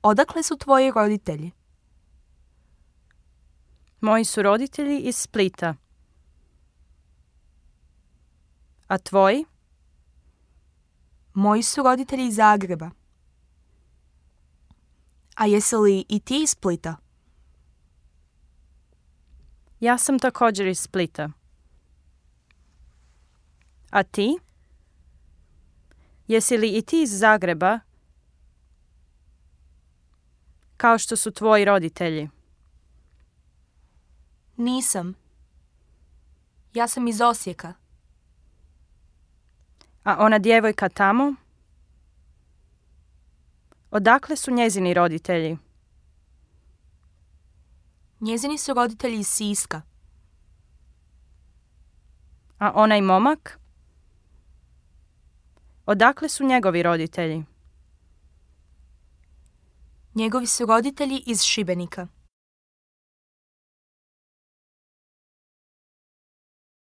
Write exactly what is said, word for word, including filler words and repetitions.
Odakle su tvoji roditelji? Moji su roditelji iz Splita. A tvoji? Moji su roditelji iz Zagreba. A jesi li i ti iz Splita? Ja sam također iz Splita. A ti? Jesi li i ti iz Zagreba, kao što su tvoji roditelji? Nisam. Ja sam iz Osijeka. A ona djevojka tamo? Odakle su njezini roditelji? Njezini su roditelji iz Siska. A onaj momak? Odakle su njegovi roditelji? Njegovi su roditelji iz Šibenika.